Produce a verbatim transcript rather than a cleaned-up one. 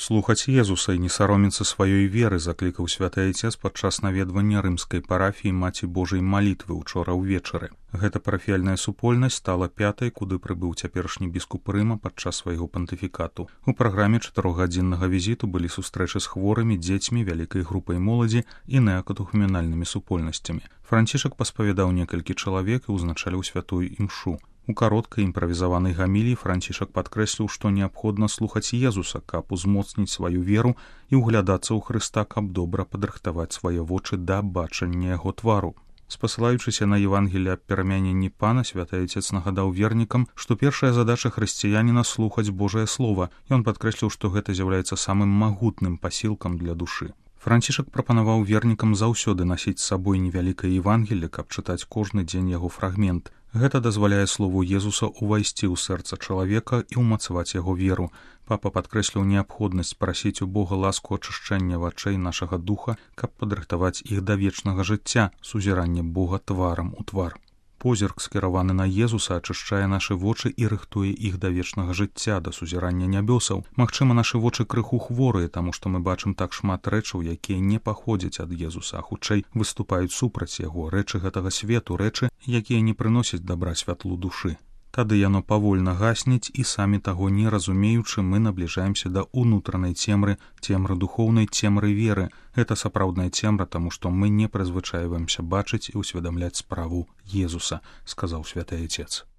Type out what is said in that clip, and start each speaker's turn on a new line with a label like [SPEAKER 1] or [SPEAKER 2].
[SPEAKER 1] Слухаць Езуса і не саромецца сваёй веры, заклікаў святы айцец падчас наведвання рымскай парафіі Маці Божай малітвы ўчора ўвечары. Гэта парафіяльная супольнасць стала пятай, куды прыбыў цяперашні біскуп Рыма падчас свайго пантыфікату. У праграме чатырохгадзіннага візіту былі сустрэчы з хворымі, дзецьмі, вялікай групай моладзі і неакатухуменальнымі супольнасцямі. Францішак паспавядаў некалькі чалавек і ўзначаліў святую імшу. У кароткай імправізаванай гаміліі Францішак падкрэсліў, што неабходна слухаць Езуса, каб узмоцніць сваю веру і ўглядацца ў Хрыста, каб добра падрыхтаваць свае вочы да бачання яго твару. Спасылаючыся на Евангелие аб перамяненні Пана, святы айцец нагадаў вернікам, што першая задача хрысціяніна слухаць Божае Слова. Ён падкрэсліў, што гэта з'яўляецца самым магутным пасілкам для душы. Францішак прапанаваў вернікам заўсёды насіць з сабой невялікае Евангелие, каб чытаць кожны дзень яго фрагмент. Гэта дазваляе слову Езуса ўвайсці ў сэрца чалавека і ўмацаваць яго веру. Папа падкрэсліў неабходнасць прасіць у Бога ласку ачышчэння вачэй нашага духа, каб падрыхтаваць іх да вечнага жыцця, сузірання Бога тварам у твар. Позірк, скіраваны на Езуса, ачышчае нашы вочы і рыхтуе іх да вечнага жыцця, да сузірання нябёсаў. Магчыма, нашы вочы крыху хворыя, таму што мы бачым так шмат рэчаў, якія не паходзяць ад Езуса, а хутчэй выступаюць супраць яго, рэчы гэтага свету, рэчы, якія не прыносяць дабра святлу душы. Тады яно павольна гасніць, і самі таго не разумеючы, мы набліжаемся да ўнутранай цемры, цемры духоўнай, цемры веры. Гэта сапраўдная цемра, таму што мы не прызвычайваемся бачыць і ўсведамляць справу Езуса, сказаў святы айцец.